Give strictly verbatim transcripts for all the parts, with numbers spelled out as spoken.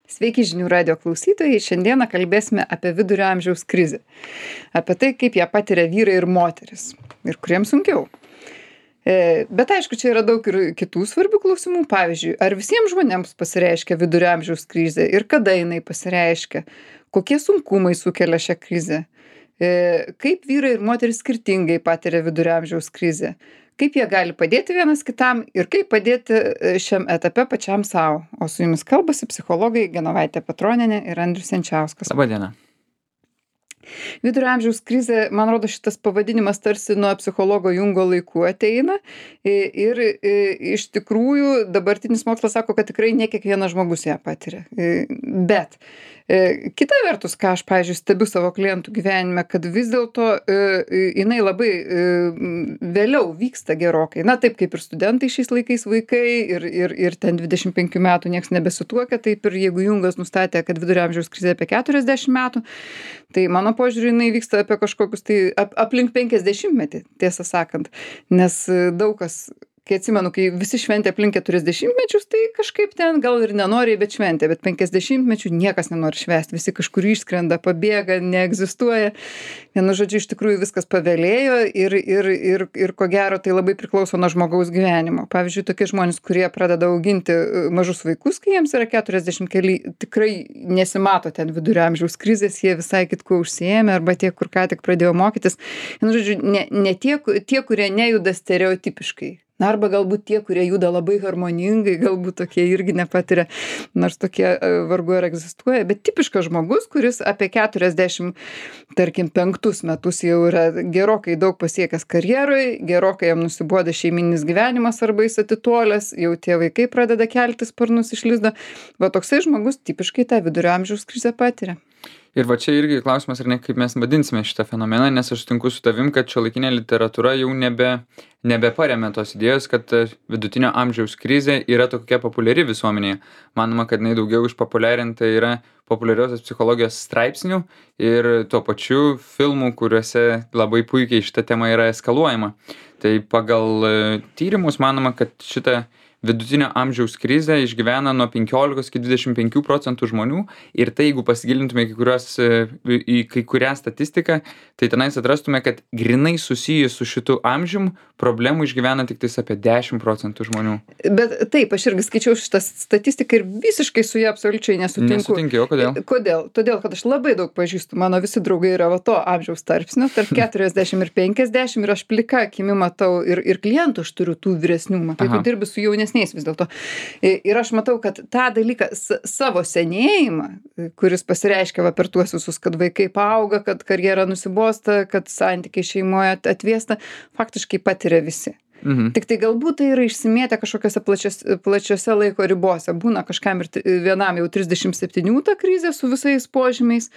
Sveiki žinių radio klausytojai, šiandieną kalbėsime apie vidurio amžiaus krizę. Apie tai, kaip ją patiria vyrai ir moteris. Ir kuriems sunkiau. E, bet aišku, čia yra daug ir kitų svarbių klausimų. Pavyzdžiui, ar visiems žmonėms pasireiškia vidurio amžiaus krizė ir kada jinai pasireiškia? Kokie sunkumai sukelia šią krizę? E, kaip vyrai ir moteris skirtingai patiria vidurio amžiaus krizę? Kaip jie gali padėti vienas kitam ir kaip padėti šiam etape pačiam savo. O su jumis kalbasi psichologai Genovaitė Petronienė ir Andrius Jančiauskas. Labą dieną. Vidurio amžiaus krizė, man rodo, šitas pavadinimas tarsi nuo psichologo Jungo laikų ateina ir, ir iš tikrųjų dabartinis mokslas sako, kad tikrai ne kiekvienas žmogus ją patiria. Bet kita vertus, ką aš, pavyzdžiui, stebiu savo klientų gyvenime, kad vis dėlto jinai labai vėliau vyksta gerokai. Na taip kaip ir studentai šiais laikais vaikai ir, ir, ir ten dvidešimt penkių metų nieks nebesituokia, taip ir jeigu Jungas nustatė, kad vidurio amžiaus krizė apie keturiasdešimt metų, tai mano požiūrį jinai vyksta apie kažkokius tai ap, aplink penkiasdešimtmetį, tiesą sakant. Nes daug kas, kai atsimenu, kai visi šventė aplink keturiasdešimtmečius, tai kažkaip ten gal ir nenoriai, bet šventė, bet penkiasdešimtmečių niekas nenori švęsti, visi kažkur išskrenda, pabėga, neegzistuoja. Vienu žodžiu, iš tikrųjų viskas pavėlėjo ir, ir, ir, ir ko gero tai labai priklauso nuo žmogaus gyvenimo. Pavyzdžiui, tokie žmonės, kurie pradeda auginti mažus vaikus, kai jiems yra keturiasdešimt keli, tikrai nesimato ten vidurio amžiaus krizės, jie visai kitkuo užsiėmė, arba tie, kur ką tik pradėjo mokytis. Vienu žodžiu, ne, ne tie, tie, kurie nejuda stereotipiškai. Na, arba galbūt tie, kurie juda labai harmoningai, galbūt tokie irgi nepatiria, nors tokie vargu ar egzistuoja, bet tipiškas žmogus, kuris apie keturiasdešimt, tarkim, penktus metus jau yra gerokai daug pasiekęs karjeroj, gerokai jam nusiboda šeimininis gyvenimas arba jis atitolęs, jau tie vaikai pradeda kelti sparnus iš lizdo, va toksai žmogus tipiškai tą vidurio amžiaus krizę patiria. Ir va čia irgi klausimas, ar ne, kaip mes vadinsime šitą fenomeną, nes aš sutinku su tavim, kad šiuolaikinė literatūra jau nebe, nebeparemia tos idėjos, kad vidutinio amžiaus krizė yra tokia populiari visuomenėje. Manoma, kad jinai daugiau išpopuliarinta yra populiariosios psichologijos straipsnių ir tuo pačiu filmų, kuriuose labai puikiai šita tema yra eskaluojama. Tai pagal tyrimus manoma, kad šitą vidutinio amžiaus krizę išgyvena nuo penkiolikos iki dvidešimt penkių procentų žmonių ir tai, jeigu pasigilintume į, kurios, į kai kurią statistiką, tai tenais atrastume, kad grinai susijęs su šitu amžium problemų išgyvena tik tais apie dešimt procentų žmonių. Bet taip, aš irgi skaičiau šitą statistiką ir visiškai su ją absoliučiai nesutinku. Nesutinki, o kodėl? Kodėl? Todėl, kad aš labai daug pažįstu, mano visi draugai yra va to amžiaus tarpsnio, tarp keturiasdešimt ir penkiasdešimt ir aš plika akimi matau ir, ir klientų aš turiu tų vyresnių, matai, tu dirbi su jaunesniais vis dėlto. Ir aš matau, kad tą dalyką, savo senėjimą, kuris pasireiškia va per tuos visus, kad vaikai paauga, kad karjera nusibosta, kad santykiai šeimoje atviesta, faktiškai patiria visi. Mhm. Tik tai galbūt tai yra išsimėtę kažkokiose plačios, plačiose laiko ribose. Būna kažkam ir vienam jau trisdešimt septynių ta krizė su visais požymiais,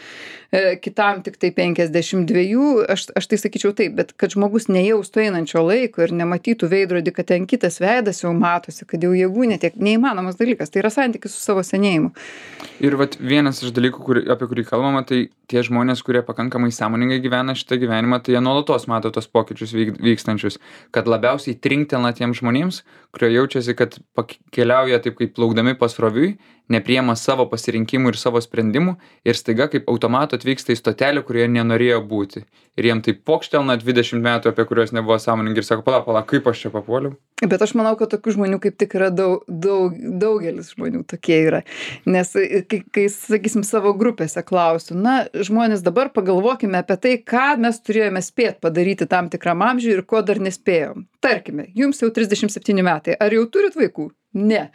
e, kitam tik tai penkiasdešimt dviejų. Aš, aš tai sakyčiau taip, bet kad žmogus nejaustų einančio laiko ir nematytų veidrodį, kad ten kitas veidas jau matosi, kad jau jėgų netiek, neįmanomas dalykas. Tai yra santykis su savo senėjimu. Ir vat vienas iš dalykų, kur, apie kurį kalbama, tai tie žmonės, kurie pakankamai sąmoningai gyvena šitą gyvenimą, tai jie nuolatos mato tos pokyčius vyk, vykstančius, kad labiausiai trinktelna tiems žmonėms, kurie jaučiasi, kad keliauja taip kaip plaukdami pasroviui, nepriema savo pasirinkimų ir savo sprendimų ir staiga kaip automatu atvyksta į stotelę, kurioje nenorėjo būti. Ir jiem taip pokštelna dvidešimt metų, apie kuriuos nebuvo sąmoningi ir sako, pala, pala, kaip aš čia papuoliau. Bet aš manau, kad tokių žmonių kaip tik yra daug, daug, daugelis žmonių tokie yra. Nes kai, kai, sakysim, savo grupėse klausiu, na, žmonės dabar pagalvokime apie tai, ką mes turėjome spėt padaryti tam tikram amžiui ir ko dar nespėjom. Tarkime, jums jau trisdešimt septyni metai, ar jau turit vaikų? Ne.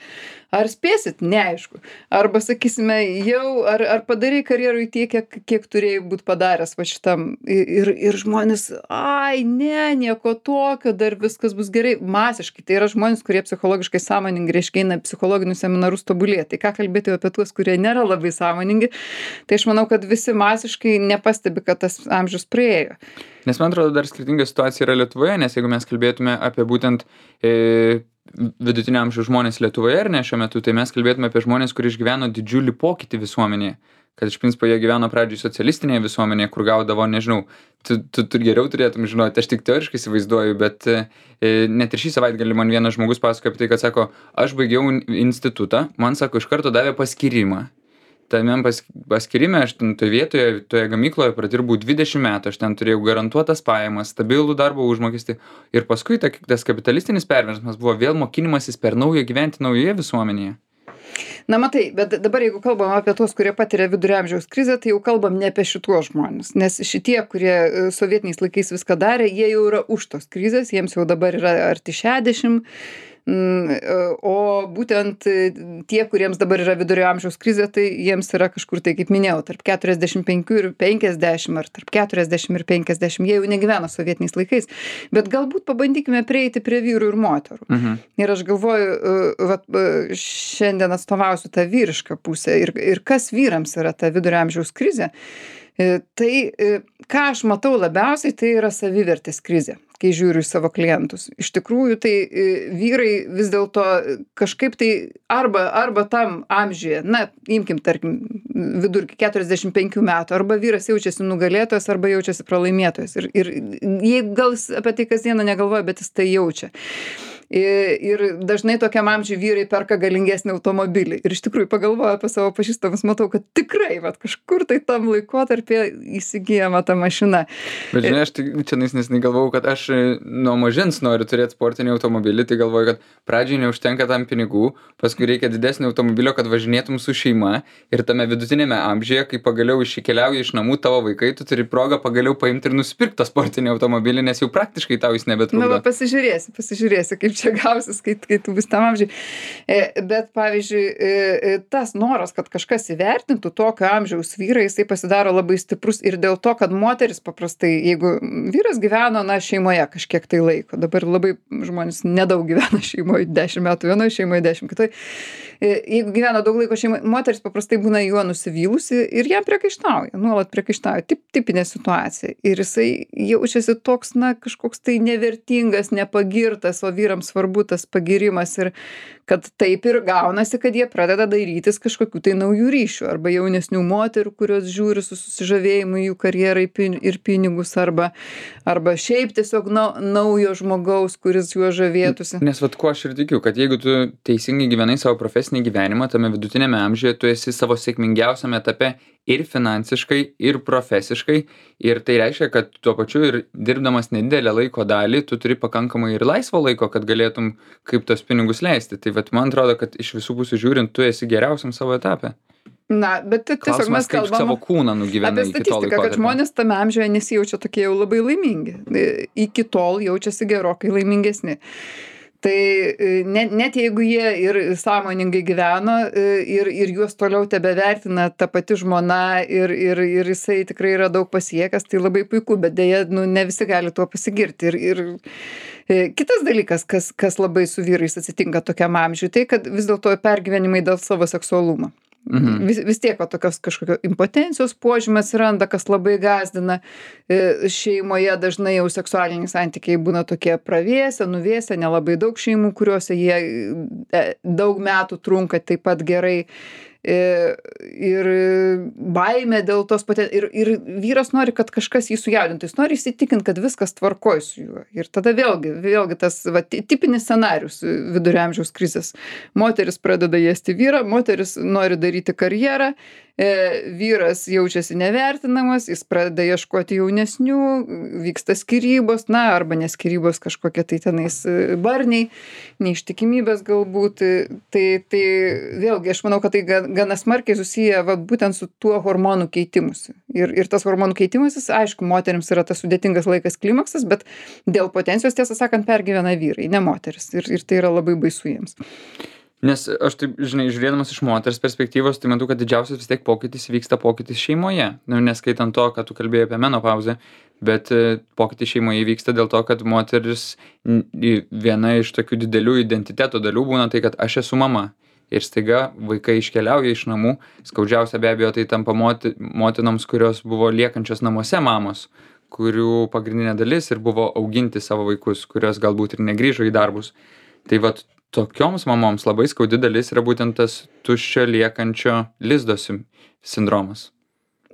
Ar spėsit? Neaišku. Arba, sakysime, jau, ar, ar padarai karjerui tiek, kiek, kiek turėjai būti padaręs va šitam. Ir, ir žmonės, ai, ne, nieko tokio, dar viskas bus gerai. Masiškai. Tai yra žmonės, kurie psichologiškai sąmoningi, reiškia, eina psichologinius seminarus tobulėti. Tai ką kalbėti apie tuos, kurie nėra labai sąmoningi. Tai aš manau, kad visi masiškai nepastebi, kad tas amžius praėjo. Nes man atrodo, dar skirtinga situacija yra Lietuvoje, nes jeigu mes kalbėtume apie būtent e, vidutinio amžiaus žmonės Lietuvoje ar ne šiuo metu, tai mes kalbėtume apie žmonės, kurie išgyveno didžiulį pokytį visuomenėje. Kad iš principo jie gyveno pradžioj socialistinėje visuomenėje, kur gaudavo, nežinau, tu, tu, tu geriau turėtum žinoti, aš tik teoriškai įsivaizduoju, bet e, net ir šį savaitgalį man vienas žmogus pasakojo apie tai, kad sako, aš baigiau institutą, man sako, iš karto davė paskyrimą. tame pas paskyrime aš ten toj vietoje, toje gamykloje pradirbau dvidešim metų, aš ten turėjau garantuotas pajamas, stabilų darbo užmokestį ir paskui ta tas kapitalistinis perversmas buvo vėl mokinimasis per naują gyventi naujoje visuomenėje. Na matai, bet dabar jeigu kalbam apie tuos, kurie patiria vidurio amžiaus krizę, tai jau kalbam ne apie šituos žmones, nes šitie, kurie e, sovietiniais laikais viską darė, jie jau yra už tos krizės, jiems jau dabar yra arti šešiasdešim. Mm, e, O būtent e, tie, kuriems dabar yra vidurio amžiaus krizė, tai jiems yra kažkur tai, kaip minėjau, tarp keturiasdešim penkių ir penkiasdešim ar tarp keturiasdešim ir penkiasdešim. Jie jau negyvena sovietiniais laikais. Bet galbūt pabandykime prieiti prie vyrų ir moterų. Mhm. Ir aš galvoju, e, vat, e, šiandien atstovausiu tą vyrišką pusę. Ir, ir kas vyrams yra ta vidurio amžiaus krizė? E, Tai e, ką aš matau labiausiai, tai yra savivertės krizė, kai žiūriu į savo klientus. Iš tikrųjų, tai e, vyrai vis dėlto kažkaip tai arba, arba tam amžiuje, na, imkim, tarkim, vidurkį keturiasdešim penkių metų, arba vyras jaučiasi nugalėtojas, arba jaučiasi pralaimėtojas. Ir, ir jeigu gal jis apie tai kasdieną negalvoja, bet jis tai jaučia. I- Ir dažnai tokiam amžiui vyrai perka galingesnį automobilį. Ir iš tikrųjų pagalvoju apie savo pažįstamus, matau, kad tikrai, vat, kažkur tai tam laikotarpį įsigijama ta mašina. Bet žinai, aš tai čia nesnai galvojau, kad aš e, nuo mažens noriu turėti sportinį automobilį, tai galvoju, kad pradžiai neužtenka tam pinigų, paskui reikia didesnio automobilio, kad važinėtum su šeima ir tame vidutinėme amžiuje, kai pagaliau iškeliauja iš namų tavo vaikai, tu turi progą pagaliau paimti ir nusipirkti tą sportinį automobilį, nes jau praktiškai tau jis Na, nebetrukdo. va, pasižiūrėsi, pasižiūrėsi, kaip čia gausis, kai, kai tu bus tam amžiui. E, Bet, pavyzdžiui, e, e, tas noras, kad kažkas įvertintų tokio amžiaus vyrą, jisai pasidaro labai stiprus ir dėl to, kad moteris paprastai, jeigu vyras gyveno, na, šeimoje kažkiek tai laiko, dabar labai žmonės nedaug gyvena šeimoje, dešimt metų vienoje šeimoje, dešimt kitoje. Jeigu gyvena daug laiko šeimoje, moteris paprastai būna juo nusivylusi ir jam priekaištauja, nuolat priekaištauja. Tip, tipinė situacija. Ir jisai jaučiasi toks, na, kažkoks tai nevertingas, nepagirtas, o vyrams svarbu tas pagirimas ir kad taip ir gaunasi, kad jie pradeda dairytis kažkokių tai naujų ryšių arba jaunesnių moterų, kurios žiūri su susižavėjimu į jų karjerą į pin- ir pinigus arba, arba šiaip tiesiog nau, naujo žmogaus, kuris juo žavėtųsi. Nes vat kuo aš ir tikiu, kad jeigu tu teisingai gyvenai savo profesinį gyvenimą, tame vidutinėme amžiuje tu esi savo sėkmingiausiame etape ir finansiškai, ir profesiškai. Ir tai reiškia, kad tuo pačiu ir dirbdamas nedidelę laiko dalį, tu turi pakankamai ir laisvo laiko, kad galėtum kaip tos pinigus leisti. Tai vat man atrodo, kad iš visų pusių žiūrint, tu esi geriausiam savo etape. Na, bet ti- tiesiog mes Klausimas, kaip kalbam savo kūną nugyvenai apie iki to statistiką, kad laiko. žmonės tame amžiuje nesijaučia tokie jau labai laimingi. E, Iki tol jaučiasi gerokai laimingesni. Tai e, net, net jeigu jie ir sąmoningai gyveno e, ir, ir juos toliau tebe vertina ta pati žmona ir, ir, ir jisai tikrai yra daug pasiekęs, tai labai puiku, bet dėja, nu, ne visi gali tuo pasigirti. Ir, ir e, kitas dalykas, kas, kas labai su vyrais atsitinka tokiam amžiui, tai kad vis dėlto pergyvenimai dėl savo seksualumo. Mhm. Vis, vis tiek va, tokios kažkokio impotencijos požymė atsiranda, kas labai gazdina. E, Šeimoje dažnai jau seksualiniai santykiai būna tokie pravėsę, nuvėsę, nelabai daug šeimų, kuriuose jie e, daug metų trunka taip pat gerai. E, Ir baimė dėl tos paties. Ir, ir vyras nori, kad kažkas jį sujaudintų. Jis nori įsitikinti, kad viskas tvarkoj su juo. Ir tada vėlgi, vėlgi tas va, ti- tipinis scenarius vidurio amžiaus krizės. Moteris pradeda ėsti vyrą, moteris nori daryti karjerą, e, vyras jaučiasi nevertinamas, jis pradeda ieškoti jaunesnių, vyksta skyrybos, na, arba neskyrybos kažkokie tai tenais e, barniai, neištikimybės galbūt. Tai, tai vėlgi, aš manau, kad tai ga- gana smarkiai susiję va, būtent su tuo hormonų keitimusi. Ir, ir tas hormonų keitimasis, aišku, moterims yra tas sudėtingas laikas klimaksas, bet dėl potencijos, tiesą sakant, pergyvena vyrai, ne moteris. Ir, ir tai yra labai baisu jiems. Nes aš taip, žinai, žiūrėdamas iš moters perspektyvos, tai matau, kad didžiausias vis tiek pokytis vyksta pokytis šeimoje. Nu, neskaitant to, kad tu kalbėjai apie menopauzę, bet e, pokytis šeimoje vyksta dėl to, kad moteris n- į- viena iš tokių didelių identiteto dalių būna tai, kad aš esu mama. Ir staiga vaikai iškeliauja iš namų. Skaudžiausia be abejo tai tampa moti, motinoms, kurios buvo liekančios namuose mamos, kurių pagrindinė dalis ir buvo auginti savo vaikus, kurios galbūt ir negrįžo į darbus. Tai vat tokioms mamoms labai skaudi dalis yra būtent tas tuščio liekančio lizdo sim- sindromas.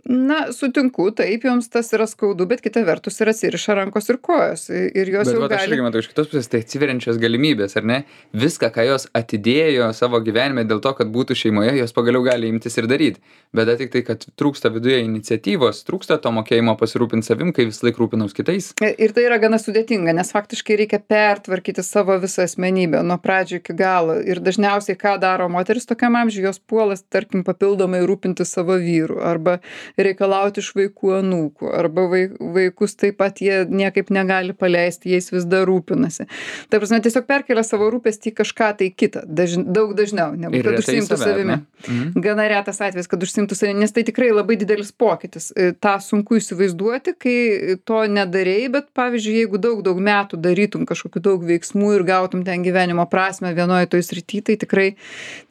Na, sutinku, taip, joms tas yra skaudu, bet kita vertus ir atsiriša rankos ir kojos. Ir jos Bet jau vat aš gali. irgi matau iš kitos pusės, tai atsiveriančios galimybės, ar ne? Viską, ką jos atidėjo savo gyvenime dėl to, kad būtų šeimoje, jos pagaliau gali imtis ir daryti. Bet tik tai, kad trūksta viduje iniciatyvos, trūksta to mokėjimo pasirūpinti savim, kai vis laik rūpinaus kitais. Ir tai yra gana sudėtinga, nes faktiškai reikia pertvarkyti savo visą asmenybę nuo pradžių iki galo. Ir dažniausiai, ką daro moteris tokiam amžiui, jos puolas, tarkim, papildomai rūpinti savo vyru arba reikalauti iš vaikų anūkų, arba vaikus taip pat jie niekaip negali paleisti, jais vis dar rūpinasi. Ta prasme, tiesiog perkelia savo rūpestį į kažką tai kitą, daž, daug dažniau, negu Ir kad retai užsiimtų save, savimi. mhm. Gana retas atvejis, kad užsiimtų savimi, nes tai tikrai labai didelis pokytis. Ta sunku įsivaizduoti, kai to nedarei, bet pavyzdžiui, jeigu daug, daug metų darytum kažkokių daug veiksmų ir gautum ten gyvenimo prasmę vienoje toj srity, tai tikrai,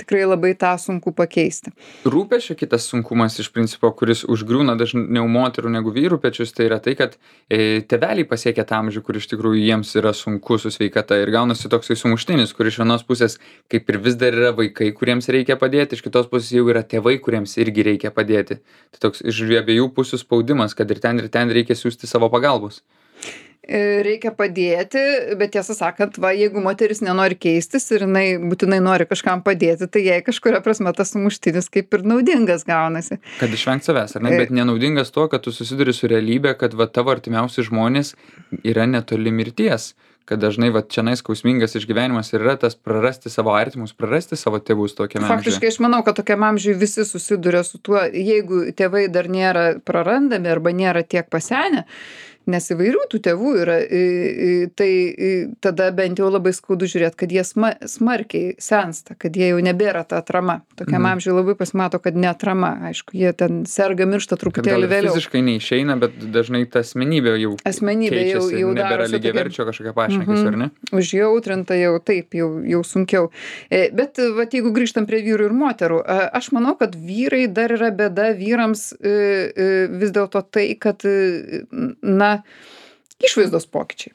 tikrai labai tą sunku pakeisti. Rūpesčio kitas sunkumas iš principo, kuris užgriūna dažniau moterų negu vyrų pečius, tai yra tai, kad e, tėveliai pasiekia tą amžių, kur iš tikrųjų jiems yra sunku su sveikata ir gaunasi toksai sumuštinis, kur iš vienos pusės kaip ir vis dar yra vaikai, kuriems reikia padėti, iš kitos pusės jau yra tėvai, kuriems irgi reikia padėti. Tai toks iš abiejų pusių spaudimas, kad ir ten, ir ten reikia siūsti savo pagalbos. Reikia padėti, bet tiesą sakant, va, jeigu moteris nenori keistis ir jinai būtinai nori kažkam padėti, tai jai kažkuria prasme tas sumuštinis kaip ir naudingas gaunasi. Kad išvengt savęs, ar ne? Bet nenaudingas tuo, kad tu susiduri su realybė, kad va, tavo artimiausi žmonės yra netoli mirties. Kad dažnai va čianais skausmingas išgyvenimas ir yra tas prarasti savo artimus, prarasti savo tėvus tokiame amžiuje. Faktiškai aš manau, kad tokiam amžiui visi susiduria su tuo, jeigu tėvai dar nėra prarandami arba nėra tiek pasenę, nes įvairių tų tėvų yra, tai tada bent jau labai skaudu žiūrėti, kad jie sma, smarkiai sensta, kad jie jau nebėra ta atrama. Tokiam Mhm. amžiui labai pasimato, kad ne atrama, aišku, jie ten serga, miršta Kad gal truputėlį ir vėliau. fiziškai neišeina, bet dažnai ta asmenybė jau Asmenybė jau, keičiasi, jau nebėra darosi lygiai tokia- verčio kažkokia pašnekės, ar ne? Užjautrinta jau taip, jau, jau sunkiau. E, Bet vat, jeigu grįžtam prie vyrų ir moterų, a, aš manau, kad vyrai dar yra bėda vyrams e, e, vis dėlto tai, kad, e, na, išvaizdos pokyčiai.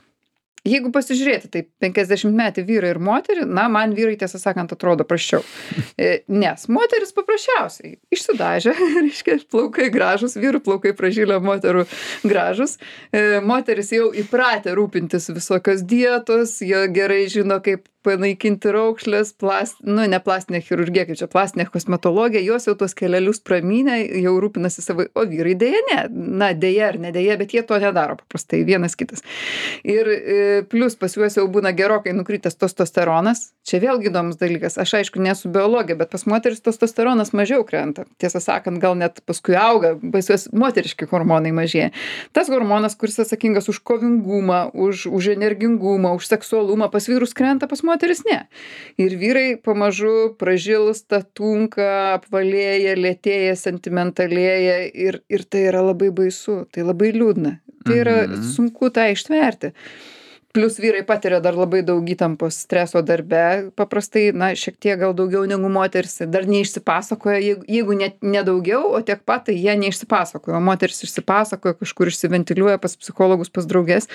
Jeigu pasižiūrėti, tai penkiasdešimtmetį vyrą ir moterį, na, man vyrai, tiesą sakant, atrodo prasčiau. E, Nes moteris paprasčiausiai išsidažė, reiškia, plaukai gražus, vyrų plaukai pražylę, moterų gražus. E, Moteris jau įpratę rūpintis visokios dietos, jie gerai žino, kaip panaikinti raukšlės, plast, nu, ne plastinė chirurgija, kaip čia plastinė kosmetologija, jos jau tuos kelelius pramynę, jau rūpinasi savo, o vyrai dėja ne, na, dėja ar nedėja, bet jie to nedaro paprastai, vienas kitas. Ir e, plus pas juos jau būna gerokai nukritęs testosteronas, čia vėlgi įdomus dalykas, aš aišku nesu biologė, bet pas moteris testosteronas mažiau krenta, tiesą sakant, gal net paskui auga, pas juos moteriški hormonai mažėja. Tas hormonas, kuris atsakingas už kovingumą, už, už energingumą, už seksualumą, pas vyrus krenta, pas moteris ne. Ir vyrai pamažu pražilsta, tunka, apvalėja, lėtėja, sentimentalėja ir, ir tai yra labai baisu, tai labai liūdna. Tai yra Mhm. sunku tą ištverti. Plius vyrai patiria dar labai daug įtampos streso darbe, paprastai, na, šiek tiek gal daugiau negu moteris, dar neišsipasakoja, jeigu, jeigu net nedaugiau, o tiek pat, tai jie neišsipasakoja, o moteris išsipasakoja, kažkur išsiventiliuoja pas psichologus, pas draugės.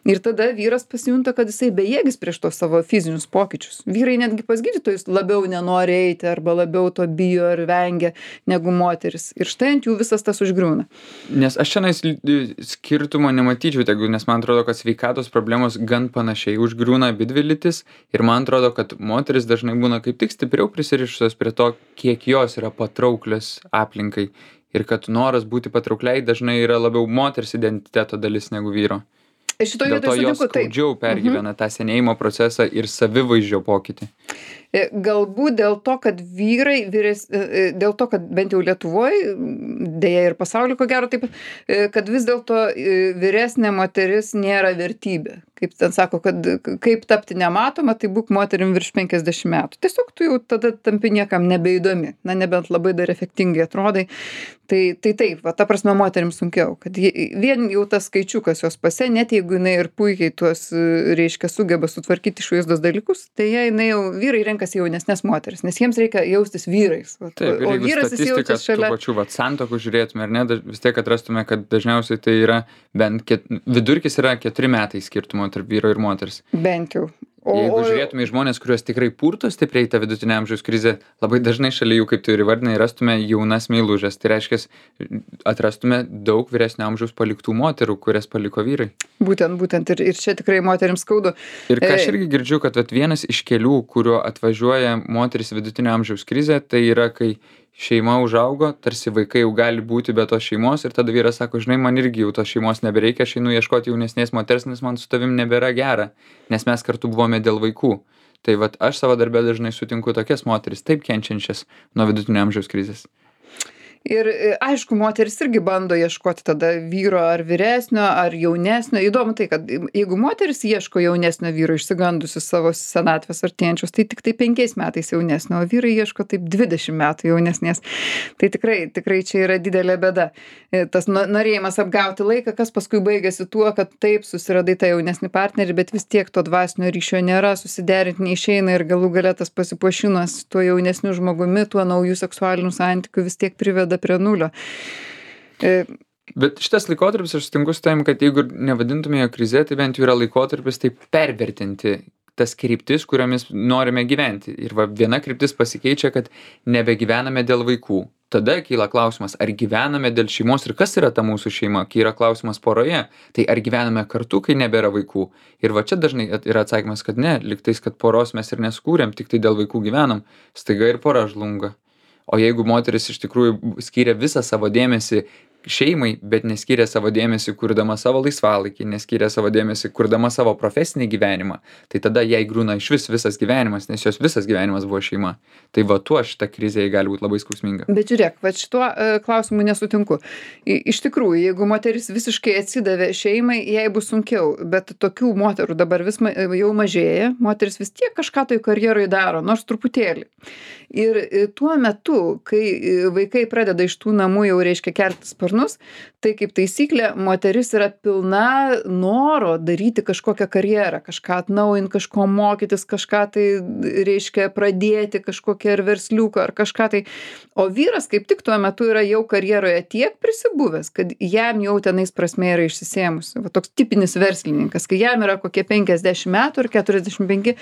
Ir tada vyras pasijunta, kad jisai bejėgis prieš tos savo fizinius pokyčius. Vyrai netgi pas gydytojus labiau nenori eiti arba labiau to bijo ir vengia negu moteris. Ir štai ant jų visas tas užgriūna. Nes aš šiandien skirtumo nematyčiau, tegu, nes man atrodo, kad sveikatos problemos gan panašiai užgriūna abidvi lytis ir man atrodo, kad moteris dažnai būna kaip tik stipriau prisirišusios prie to, kiek jos yra patrauklios aplinkai ir kad noras būti patraukliai dažnai yra labiau moters identiteto dalis negu vyro. Šitoje Dėl to jos skaudžiau pergyvena tą senėjimo procesą ir savivaizdžio pokytį. Galbūt dėl to, kad vyrai, vyres, dėl to, kad bent jau Lietuvoje, dėja ir pasaulyje, ko gero taip, kad vis dėlto vyresnė moteris nėra vertybė. Kaip ten sako, kad kaip tapti nematoma, tai būk moterim virš penkiasdešimt metų. Tiesiog tu jau tada tampi niekam nebeįdomi, na nebent labai dar efektingai atrodai. Tai, tai taip, va, ta prasme moterim sunkiau, kad vien jau tas skaičiukas jos pase, net jeigu jinai ir puikiai tuos, reiškia, sugeba sutvarkyti išvaizdos dalykus, tai jie, jinai jau vyrai renkasi jaunesnės moteris, nes jiems reikia jaustis vyrais. Va, taip, ir o jeigu vyras jis statistiką jaučiasi šalia. tų pačių vat, santokų žiūrėtume, ar ne, daž- vis tiek atrastume, kad dažniausiai tai yra bent ket, vidurkis yra keturi metai skirtumo tarp vyro ir moters. Bent jau. O, Jeigu o, žiūrėtume į žmonės, kuriuos tikrai purto stipriai tą vidutinio amžiaus krizę, labai dažnai šalia jų, kaip tu ir įvardinai, rastume jaunas meilužės. Tai reiškia, atrastume daug vyresnio amžiaus paliktų moterų, kurias paliko vyrai. būtent, būtent ir, ir čia tikrai moterims skaudu. Ir ką aš E, irgi girdžiu, kad vat, vienas iš kelių, kuriuo atvažiuoja moteris vidutinio amžiaus krizė, tai yra, kai šeima užaugo, tarsi vaikai jau gali būti be tos šeimos ir tada vyras sako, žinai, man irgi jau tos šeimos nebereikia, aš einu ieškoti jaunesnės moters, nes man su tavim nebėra gera, nes mes kartu buvome dėl vaikų. Tai vat aš savo darbę dažnai sutinku tokias moteris, taip kenčiančias nuo vidutinio amžiaus krizės. Ir e, aišku, moteris irgi bando ieškoti tada vyro ar vyresnio, ar jaunesnio. Įdomu tai, kad jeigu moteris ieško jaunesnio vyro išsigandusi savo senatvės artėjančios, tai tik tai penkiais metais jaunesnio, o vyrai ieško taip dvidešimt metų jaunesnės. Tai tikrai, tikrai čia yra didelė bėda. E, Tas no- norėjimas apgauti laiką, kas paskui baigėsi tuo, kad taip susiradai tą jaunesnį partnerį, bet vis tiek to dvasinio ryšio nėra, susiderinti neišeina ir galų gale tas pasipuošimas tuo jaunesniu žmogumi, tuo naujų seksualinių santykių vis tiek priveda prie nulio. E, Bet šitas laikotarpis, aš sutinku su tavim, kad jeigu nevadintume jo krize, tai bent jau yra laikotarpis taip pervertinti tas kryptis, kuriomis norime gyventi. Ir va, viena kryptis pasikeičia, kad nebegyvename dėl vaikų. Tada kyla klausimas, ar gyvename dėl šeimos ir kas yra ta mūsų šeima. Kai yra klausimas poroje, tai ar gyvename kartu, kai nebėra vaikų. Ir va čia dažnai at- yra atsakymas, kad ne, liktais, kad poros mes ir neskūrėm, tik tai dėl vaikų gyvenam. Staiga ir pora žlunga. O jeigu moteris iš tikrųjų skiria visą savo dėmesį šeimai, bet neskiria savo dėmesį kurdama savo laisvalaikį, neskiria savo dėmesį kurdama savo profesinį gyvenimą, tai tada jai griūna iš vis visas gyvenimas, nes jos visas gyvenimas buvo šeima. Tai va tuo šita krizė jai gali būti labai skausminga. Bet žiūrėk, va šituo e, klausimu nesutinku. I, iš tikrųjų, jeigu moteris visiškai atsidavė šeimai, jai bus sunkiau, bet tokių moterų dabar vis ma, jau mažėja, moteris vis tiek kažką tai karjerai daro, nors truputėlį. Ir e, tuo metu, kai e, vaikai pradeda iš tų namų jau reiškia kelti sparnus, tai kaip taisyklė, moteris yra pilna noro daryti kažkokią karjerą, kažką atnaujinti, kažko mokytis, kažką tai reiškia pradėti, kažkokią ar versliuką, ar kažką tai. O vyras kaip tik tuo metu yra jau karjeroje tiek prisibuvęs, kad jam jau tenais prasmė yra išsisėmusi. Va toks tipinis verslininkas, kai jam yra kokie penkiasdešimt metų ar keturiasdešimt penki,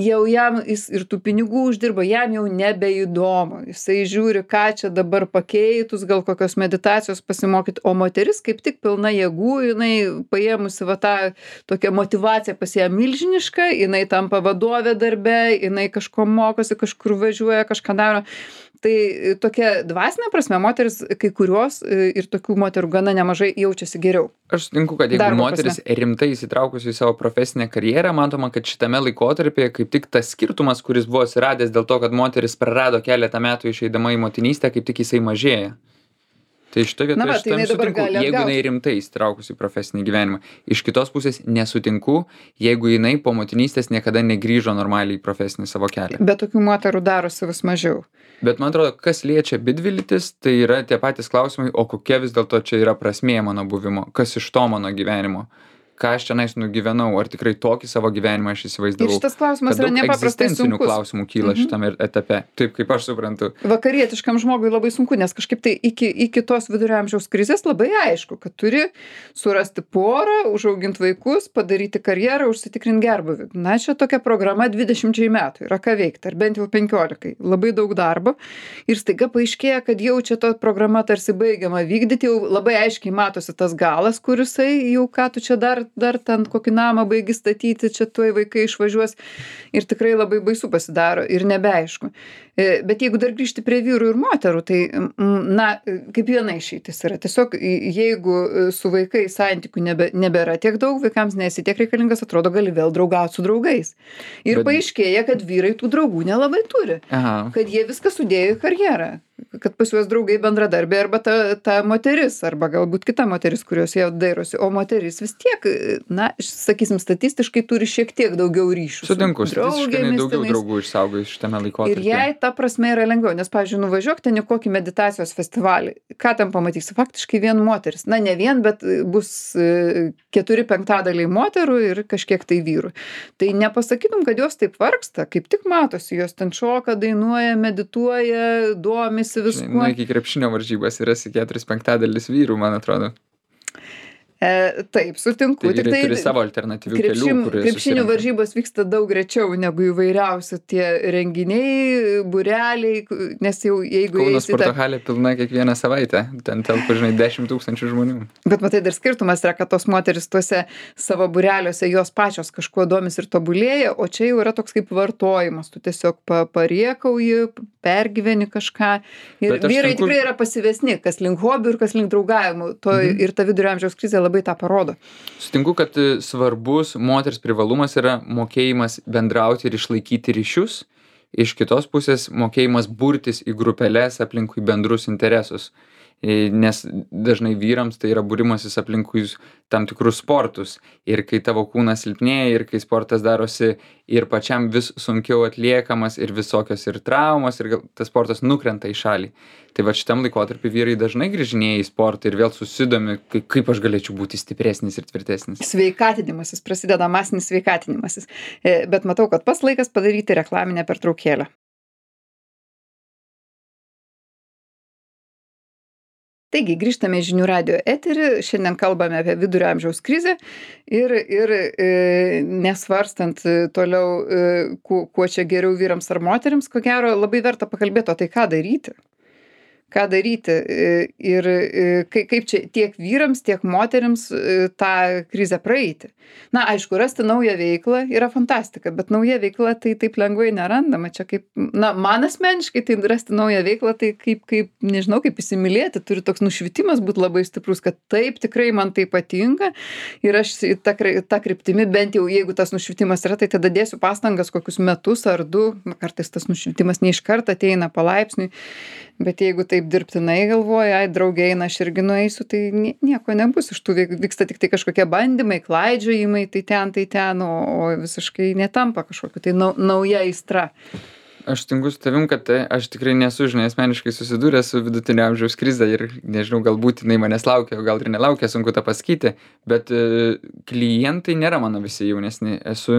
jau jam jis ir tų pinigų uždirba, jam jau nebeįdomu. Jisai žiūri, ką čia dabar pakeitus, gal kokios meditacijos pasimokyti, o moteris kaip tik pilna jėgų, jinai paėmusi va tą tokią motyvaciją pas ją milžinišką, jinai tampa vadovė darbe, jinai kažko mokosi, kažkur važiuoja, kažką daro. Tai tokia dvasinė prasme moteris, kai kurios e, ir tokių moterų gana nemažai jaučiasi geriau. Aš sutinku, kad jeigu Darbo moteris rimtai įsitraukusi į savo profesinę karjerą, matoma, kad šitame laikotarpyje kaip tik tas skirtumas, kuris buvo atsiradęs dėl to, kad moteris prarado keletą metų išeidama į motinystę, kaip tik jisai mažėja. Tai šitoje Na vietoje va, aš tai jinai tam dabar sutinku, gali jeigu atgaut. jinai rimtai įsitraukusi į profesinį gyvenimą. Iš kitos pusės nesutinku, jeigu jinai po motinystės niekada negrįžo normaliai į profesinį savo kelią. Bet tokių moterų darosi vis mažiau. Bet man atrodo, kas liečia abidvi, tai yra tie patys klausimai, o kokia vis dėlto čia yra prasmė mano buvimo, kas iš to mano gyvenimo, ką aš čionais nugyvenau, ar tikrai tokį savo gyvenimą aš įsivaizdavau. Ir šitas klausimas Kad yra daug nepaprastai egzistencinių sunkus. klausimų kyla Mhm. šitame etape, taip kaip aš suprantu. Vakarietiškam žmogui labai sunku, nes kažkaip tai iki, iki tos vidurio amžiaus krizės labai aišku, kad turi surasti porą, užauginti vaikus, padaryti karjerą, užsitikrinti gerbuvį. Na, čia tokia programa dvidešimčiai metų, yra ką veikti, ar bent jau penkiolikai. Labai daug darbo. Ir staiga paaiškėja, kad jau čia ta programa tarsi baigiama vykdyti, jau labai aiškiai matosi tas galas, kurisai jau ką tu čia dar, dar ten kokį namą baigi statyti, čia tuoj vaikai išvažiuos. Ir tikrai labai baisu pasidaro ir nebeaišku. E, Bet jeigu dar grįžti prie vyrų ir moterų, tai, mm, na, kaip viena išeitis yra. Tiesiog i- jeigu su vaikais santykių nebe, nebėra tiek daug, vaikams nesi tiek reikalingas, atrodo, gali vėl draugauti su draugais. Ir Bet- paaiškėja, kad vyrai tų draugų nelabai turi. Aha. Kad jie viską sudėjo į karjerą. Kad pas juos draugai bendradarbiai arba ta, ta moteris, arba galbūt kita moteris, kurios jie dairosi. O moteris vis tiek, na, sakysim, statistiškai turi šiek tiek daugiau ryšių. su Sutinku, statistiškai jinai draugėmis daugiau tenais. draugų išsaugojo šitame Ir laikotarpyje. jai ta prasme yra lengviau, nes, pavyzdžiui, nuvažiuok ten į kokį meditacijos festivalį. Ką ten pamatysi? Faktiškai vien moteris. Na, ne vien, bet bus e, keturi penktadaliai moterų ir kažkiek tai vyrų. Tai nepasakytum, kad jos taip vargsta, kaip tik matosi, jos ten šoka, dainuoja, medituoja, domisi Nu, viskuo. iki krepšinio varžybas yra keturis penktadalis vyrų, man atrodo. E, taip, sutinku. Tai Tik vyrai tai turi savo alternatyvių kelių, krepšin, kurie krepšinių susirenka. varžybos vyksta daug rečiau negu įvairiausi tie renginiai, būreliai, k- nes jau jeigu Kauno eisi į sporto tą... halė pilna kiekvieną savaitę. Ten telpa, žinai, dešimt tūkstančių žmonių. Bet matai, dar skirtumas yra, kad tos moteris tuose savo būreliuose jos pačios kažkuo domis ir tobulėja, o čia jau yra toks kaip vartojimas. Tu tiesiog pa, pariekauji, pergyveni kažką. Ir Bet aš vyrai sutinku- tikrai yra pasivesni, kas link hobių ir kas link draugavimų. To, Mhm. Ir ta vidurio amžiaus krizė labai tą parodo. Sutinku, kad e, svarbus moters privalumas yra mokėjimas bendrauti ir išlaikyti ryšius. Iš kitos pusės mokėjimas burtis į grupeles aplinkui bendrus interesus. E, Nes dažnai vyrams tai yra būrimasis aplinkui tam tikrus sportus. Ir kai tavo kūnas silpnėja, ir kai sportas darosi ir pačiam vis sunkiau atliekamas, ir visokios ir traumos, ir gal tas sportas nukrenta į šalį. Tai va šitam laikotarpį vyrai dažnai grįžinėja į sportą ir vėl susidomi, kaip, kaip aš galėčiau būti stipresnis ir tvirtesnis. Sveikatinimasis, prasideda masinis sveikatinimasis. E, Bet matau, kad pas laikas padaryti reklaminę pertraukėlę. Taigi, grįžtame į žinių radio eterį, šiandien kalbame apie vidurio amžiaus krizę ir, ir e, nesvarstant e, toliau, e, kuo, kuo čia geriau vyrams ar moteriams, ko gero labai verta pakalbėti, o tai ką daryti. Ką daryti e, ir e, kai- kaip čia tiek vyrams, tiek moteriams e, tą krizę praeiti. Na, aišku, rasti naują veiklą yra fantastika, bet nauja veikla tai taip lengvai nerandama. Čia kaip, na, man asmeniškai tai rasti naują veiklą, tai kaip, kaip nežinau, kaip įsimylėti, turi toks nušvitimas būti labai stiprus, kad taip, tikrai man tai patinka ir aš į tą, kry- tą kryptimį, bent jau jeigu tas nušvitimas yra, tai tada dėsiu pastangas kokius metus ar du, na, kartais tas nušvitimas ne iš karto ateina palaipsniui, bet jeigu taip dirbtinai galvoja, ai, draugė eina, aš irgi nueisiu, tai nie- nieko nebus, iš tų veik- vyksta tik tai kažkokie bandymai, klaidžiojimai, tai ten, tai ten, o, o visiškai netampa kažkokiu, tai nau, nauja aistra. Aš sutinku su tavim, kad e, aš tikrai nesu, žinai, asmeniškai susidūręs su vidutinio amžiaus krize ir nežinau, galbūt jinai manęs laukia, o gal ir nelaukia, sunku tą pasakyti, bet e, klientai nėra mano visi jaunesni. Esu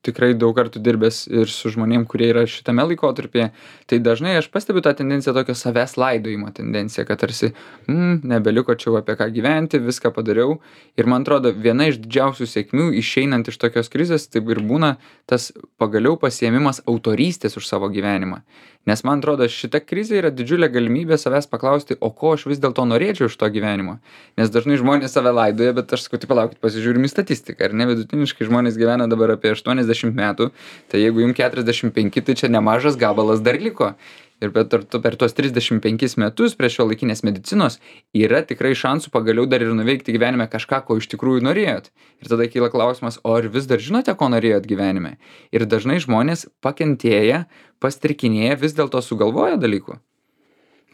tikrai daug kartų dirbęs ir su žmonėm, kurie yra šitame laikotarpyje. Tai dažnai aš pastebiu tą tendenciją, tokią savęs laidojimo tendenciją, kad tarsi, mm, nebeliko čia jau apie ką gyventi, viską padariau. Ir man atrodo, viena iš didžiausių sėkmių išeinant iš tokios krizės, taip ir būna tas pagaliau pasiėmimas autorystės už savo gyvenimą. Nes man atrodo, šita krizė yra didžiulė galimybė savęs paklausti, o ko aš vis dėlto norėčiau iš to gyvenimo. Nes dažnai žmonės save laidoja, bet aš sakau, tai palaukit, pasižiūrim į statistiką. Ar ne, vidutiniškai žmonės gyvena dabar apie aštuoniasdešimt metų, tai jeigu jums keturiasdešimt penki, tai čia nemažas gabalas dar liko. Ir per, tu- per tuos trisdešimt penkis metus prie šiuolaikinės medicinos yra tikrai šansų pagaliau dar ir nuveikti gyvenime kažką, ko iš tikrųjų norėjot. Ir tada kyla klausimas, o ar vis dar žinote, ko norėjot gyvenime? Ir dažnai žmonės pakentėję, pastrikinėję vis dėlto sugalvoja dalykų.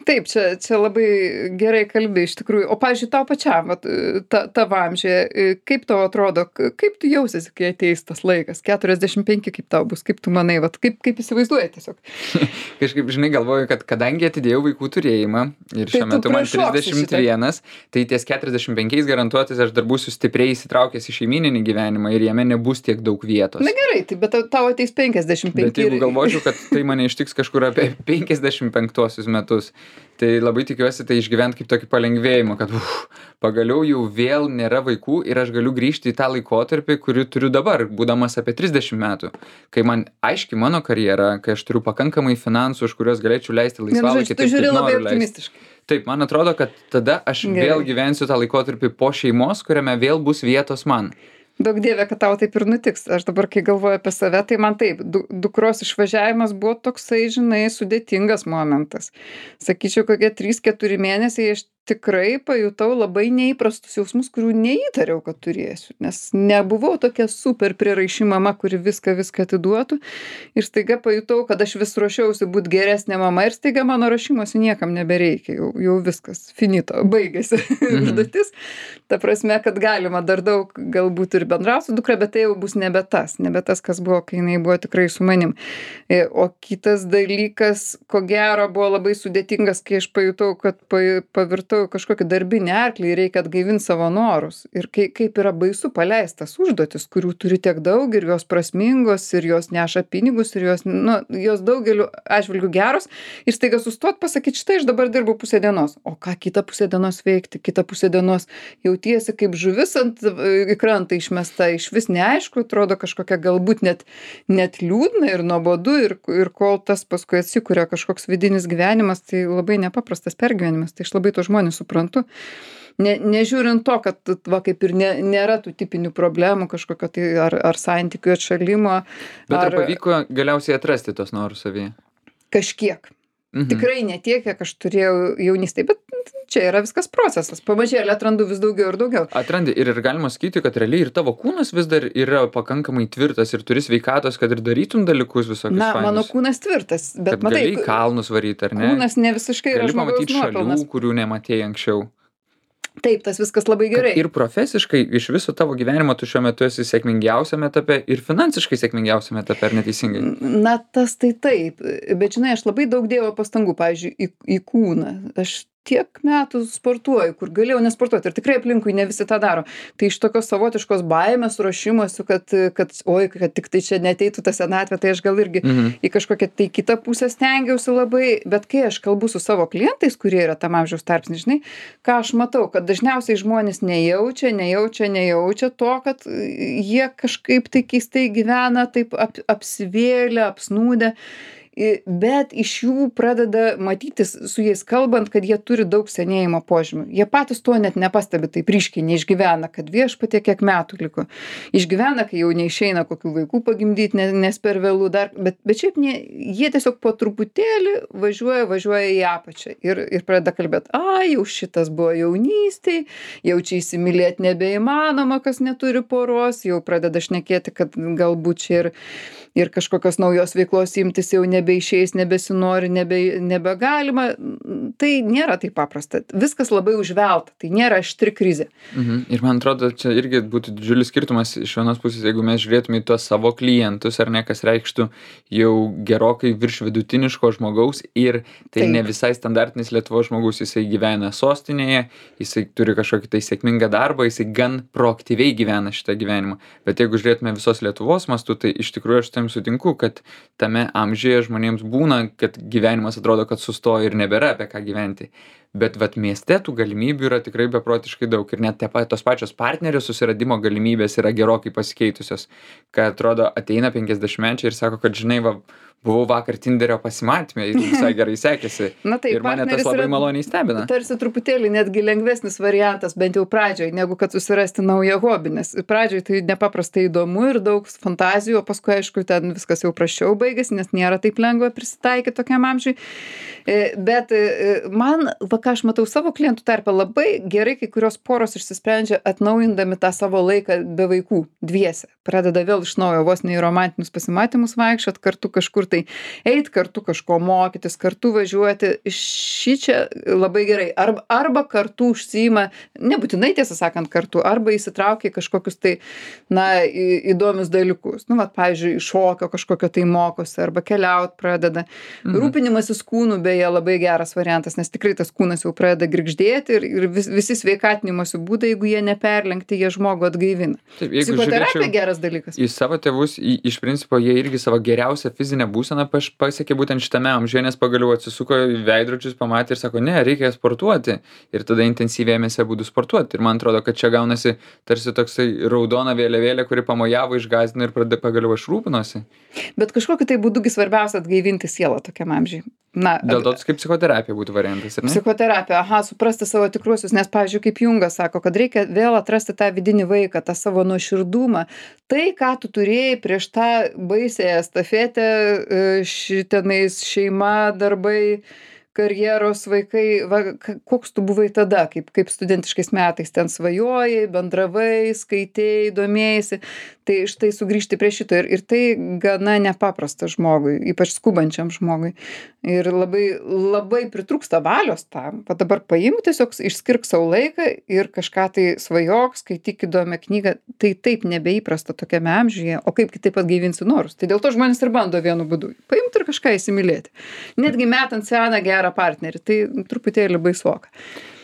Taip, čia, čia labai gerai kalbi iš tikrųjų. O, pavyzdžiui, tau pačiam, vat, ta, tavo amžiuje, kaip tau atrodo, k- kaip tu jausiesi, kai ateis tas laikas? keturiasdešimt penki kaip tau bus, kaip tu manai, vat, kaip, kaip įsivaizduoji tiesiog? Kažkaip, žinai, galvoju, kad kadangi atidėjau vaikų turėjimą ir Tai šiuo tu metu man prašoksi trisdešimt vienas, tai ties keturiasdešimt penkiais garantuotis aš dar būsiu stipriai įsitraukęs į šeimyninį gyvenimą ir jame nebus tiek daug vietos. Na gerai, tai bet tau- tau ateis penkiasdešimt penki. Bet jeigu galvočiau, kad tai mane ištiks kažkur apie penkiasdešimt penktuosius metus, tai labai tikiuosi tai išgyvent kaip tokį palengvėjimą, kad uf, pagaliau jau vėl nėra vaikų ir aš galiu grįžti į tą laikotarpį, kurį turiu dabar, būdamas apie trisdešimt metų. Kai man aiški mano karjera, kai aš turiu pakankamai finansų, už kuriuos galėčiau leisti Vienu laisvalaikį, žodžiu, tu žiūri labai leisti. optimistiškai. Taip, man atrodo, kad tada aš Gerai. vėl gyvensiu tą laikotarpį po šeimos, kuriame vėl bus vietos man. Daug dievė, kad tau taip ir nutiks. Aš dabar, kai galvoju apie save, tai man taip, du, dukros išvažiavimas buvo toksai, žinai, sudėtingas momentas. Sakyčiau, kokie trys keturi mėnesiai aš tikrai pajutau labai neįprastus jausmus, kurių neįtariau, kad turėsiu. Nes nebuvau tokia super priraiši mama, kuri viską, viską atiduotų. Ir staiga pajutau, kad aš vis ruošiausi būti geresnė mama ir staiga mano ruošimosi niekam nebereikia. Jau, jau viskas, finito, baigėsi užduotis. Ta prasme, kad galima dar daug galbūt ir bendrauti su dukra, bet tai jau bus nebe tas, nebe tas, kas buvo, kai jinai buvo tikrai su manim. E, O kitas dalykas, ko gero, buvo labai sudėtingas, kai aš pajutau, kad pa- pavirtau matau kažkokį darbinį arklį ir reikia atgaivint savo norus. Ir kai, kaip yra baisu paleist tas užduotis, kurių turi tiek daug ir jos prasmingos, ir jos neša pinigus, ir jos, nu, jos daugeliu atžvilgių geros. Ir staiga sustot pasakyti, štai aš dabar dirbu pusę dienos. O ką kitą pusę dienos veikti? Kitą pusę dienos jautiesi kaip žuvis ant į krantą išmesta, iš vis neaišku, atrodo kažkokia galbūt net, net liūdna ir nuobodu. Ir, ir kol tas paskui atsikuria kažkoks vidinis gyvenimas, tai labai nepaprastas pergyvenimas. Tai aš labai to žmonės suprantu. Ne, nežiūrint to, kad va, kaip ir ne, nėra tų tipinių problemų kažkokio tai ar, ar santykių atšalimo. Bet ar, ar pavyko galiausiai atrasti tos norus savyje? Kažkiek. Mhm. Tikrai ne tiek, kiek aš turėjau jaunystėje, bet čia yra viskas procesas. Pamažėlį atrandu vis daugiau ir daugiau. Atrandi ir, ir galima sakyti, kad realiai ir tavo kūnas vis dar yra pakankamai tvirtas ir turi sveikatos, kad ir darytum dalykus visokius. Na, fainus. mano kūnas tvirtas, bet kad matai, gali kalnus varyti, ar ne? Kūnas ne visiškai yra gali žmogaus pamatyti nuopelnas. šalių, kurių nematėjai anksčiau. Taip, tas viskas labai gerai. Kad ir profesiškai iš viso tavo gyvenimo tu šiuo metu esi sėkmingiausiame etape ir finansiškai sėkmingiausiame etape, ar neteisingai? Na, tas tai taip, bet žinai, aš labai daug dėjau pastangų, pavyzdžiui, į, į kūną. Aš tiek metų sportuoju, kur galėjau nesportuoti ir tikrai aplinkui ne visi tą daro. Tai iš tokios savotiškos baimės ruošimosi, kad, kad oi, kad tik tai čia neteitų ta senatvė, tai aš gal irgi mhm. į kažkokią tai kitą pusę stengiausi labai, bet kai aš kalbu su savo klientais, kurie yra tam amžiaus tarpsny, žinai, ką aš matau, kad dažniausiai žmonės nejaučia, nejaučia, nejaučia to, kad jie kažkaip tai keistai gyvena, taip ap, apsivėlę, apsnūdę. Bet iš jų pradeda matytis su jais kalbant, kad jie turi daug senėjimo požymių. Jie patys to net nepastebi, taip ryškiai neišgyvena, kad viešpatie kiek metų liko. Išgyvena, kai jau neišeina kokių vaikų pagimdyti, nes per vėlų dar, bet, bet šiaip ne, jie tiesiog po truputėlį važiuoja, važiuoja į apačią ir, ir pradeda kalbėti, a, jau šitas buvo jaunystėj, jau čia įsimylėti nebeįmanoma, kas neturi poros, jau pradeda šnekėti, kad galbūt čia ir, ir kažkokios naujos veiklos imtis jau ne nebeišeis, nebesinori, nebe, nebegalima. Tai nėra taip paprasta. Viskas labai užvelta. Tai nėra aštri krizė. Mhm. Ir man atrodo, čia irgi būtų didžiulis skirtumas iš vienos pusės, jeigu mes žiūrėtume į tuos savo klientus, ar ne, kas reikštų jau gerokai virš vidutiniško žmogaus ir tai taip. Ne visai standartinis Lietuvos žmogus. Jisai gyvena sostinėje, jisai turi kažkokį tai sėkmingą darbą, jisai gan proaktyviai gyvena šitą gyvenimą. Bet jeigu žiūrėtume visos Lietuvos mastu, tai iš tikrųjų aš tam sutinku, kad tame amžiuje žmonėms būna, kad gyvenimas atrodo, kad sustojo ir nebėra apie ką gyventi. Bet vat mieste tų galimybių yra tikrai beprotiškai daug ir net tos pačios partnerio susiradimo galimybės yra gerokai pasikeitusios. Kad atrodo ateina penkiasdešimtmečiai ir sako, kad žinai, va, buvau vakar Tinderio pasimatyme ir visai gerai sekėsi. Na taip, ir mane tas labai maloniai stebina. Tarsi truputėlį netgi lengvesnis variantas, bent jau pradžioj, negu kad susirasti naują hobį, nes pradžioj tai nepaprastai įdomu ir daug fantazijų, o paskui aišku ten viskas jau prasčiau baigėsi, nes nėra taip lengva prisitaikyti tokiam amžiui. Bet man, va ką aš matau savo klientų tarpe, labai gerai kai kurios poros išsisprendžia atnaujindami tą savo laiką be vaikų dviese. Pradeda vėl iš naujo vos ne į romantinius pasimatymus vaikščiot, kartu kažkur tai eit, kartu kažko mokytis, kartu važiuoti. Šičia labai gerai. Arba, arba kartu užsiima, nebūtinai tiesą sakant kartu, arba įsitraukia į kažkokius tai, na, į, įdomius dalykus. Nu, vat, pavyzdžiui, šokio kažkokio tai mokosi, arba keliaut pradeda. Mhm. Rūpinimasis kūnu beje labai geras variantas, nes tikrai tas kūnas jau pradeda girgždėti ir, ir vis, visi sveikatinimosi būdai, jeigu jie neperlenkti, jie žmogų atgaivina. Taip, psichoterapija geras dalykas. Į savo tėvus, į, iš principo, jie irgi savo geriausią fizinę būseną pasiekė būtent šitame amžiuje, nes pagaliau atsisuko į veidrodžius, pamatė ir sako, ne, reikia sportuoti. Ir tada intensyviai ėmėsi būdų sportuoti. Ir man atrodo, kad čia gaunasi tarsi toksai raudona vėliavėlė, kuri pamojavo, išgąsdino ir pradėjo pagaliau aš rūpinosi. Bet kažkokiu tai būdugi svarbiausia atgaivinti sielą tokiam amžiui. Na, dėl to kaip psichoterapija būtų variantas, ar ne? Psichoterapija, aha, suprasti savo tikruosius, nes, pavyzdžiui, kaip Jungas sako, kad reikia vėl atrasti tą vidinį vaiką, tą savo nuoširdumą. Tai, ką tu turėjai prieš tą baisėją estafetę, šitenais šeima, darbai, karjeros, vaikai, va, koks tu buvai tada, kaip, kaip studentiškais metais ten svajojai, bendravai, skaitėjai, domėjai. Tai štai sugrįžti prie šito ir, ir tai gana nepaprasta žmogui, ypač skubančiam žmogui. Ir labai, labai pritrūksta valios tam. Va dabar paimk tiesiog, išskirk savo laiką ir kažką tai svajok, skaityk įdomią knygą. Tai taip nebeįprasta tokiame amžiuje, o kaip kitaip atgaivinsi norus. Tai dėl to žmonės ir bando vienu būdu. Paimti ir kažką įsimylėti. Netgi metant seną gerą gerą partnerį, tai truputėlį baisoka.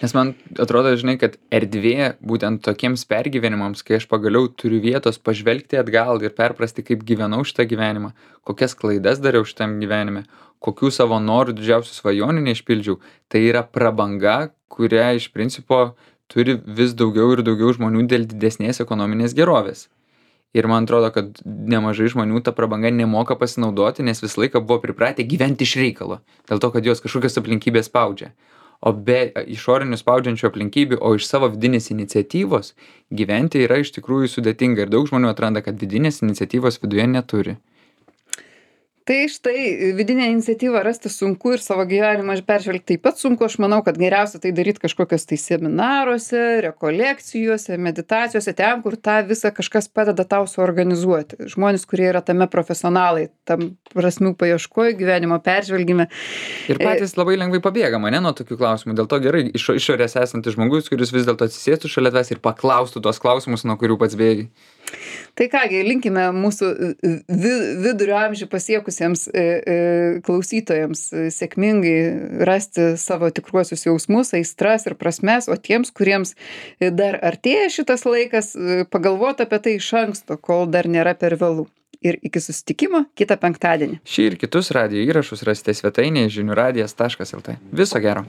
Nes man atrodo, žinai, kad erdvė būtent tokiems pergyvenimams, kai aš pagaliau turiu vietos pažvelgti atgal ir perprasti, kaip gyvenau šitą gyvenimą, kokias klaidas dariau šitam gyvenime, kokių savo norų didžiausių svajonių neišpildžiau, tai yra prabanga, kurią iš principo turi vis daugiau ir daugiau žmonių dėl didesnės ekonominės gerovės. Ir man atrodo, kad nemažai žmonių tą prabangą nemoka pasinaudoti, nes visą laiką buvo pripratę gyventi iš reikalo, dėl to, kad jos kažkokios aplinkybės spaudžia. O be išorinių spaudžiančių aplinkybių, o iš savo vidinės iniciatyvos gyventi yra iš tikrųjų sudėtinga ir daug žmonių atranda, kad vidinės iniciatyvos viduje neturi. Tai štai vidinę iniciatyvą rasti sunku ir savo gyvenimą peržvelgti taip pat sunku. Aš manau, kad geriausia tai daryti kažkokios tai seminaruose, rekolekcijose, meditacijose, ten, kur tą visą kažkas padeda tau suorganizuoti. Žmonės, kurie yra tame profesionalai, tam prasmių paieškoj, gyvenimo peržvelgime. Ir patys labai lengvai pabėga mane nuo tokių klausimų. Dėl to gerai iš išorės esantis žmogus, kuris vis dėlto atsisėstų šalia tavęs ir paklaustų tos klausimus, nuo kurių pats bėgi. Tai kągi, linkime mūsų vi, vidurio amžių pasiekusiems e, e, klausytojams e, sėkmingai rasti savo tikruosius jausmus, aistras ir prasmes, o tiems, kuriems dar artėja šitas laikas, e, pagalvoti apie tai iš anksto, kol dar nėra per vėlų. Ir iki susitikimo kitą penktadienį. Šį ir kitus radijo įrašus rasite svetainėje žinių radijas taškas lt. Viso gero.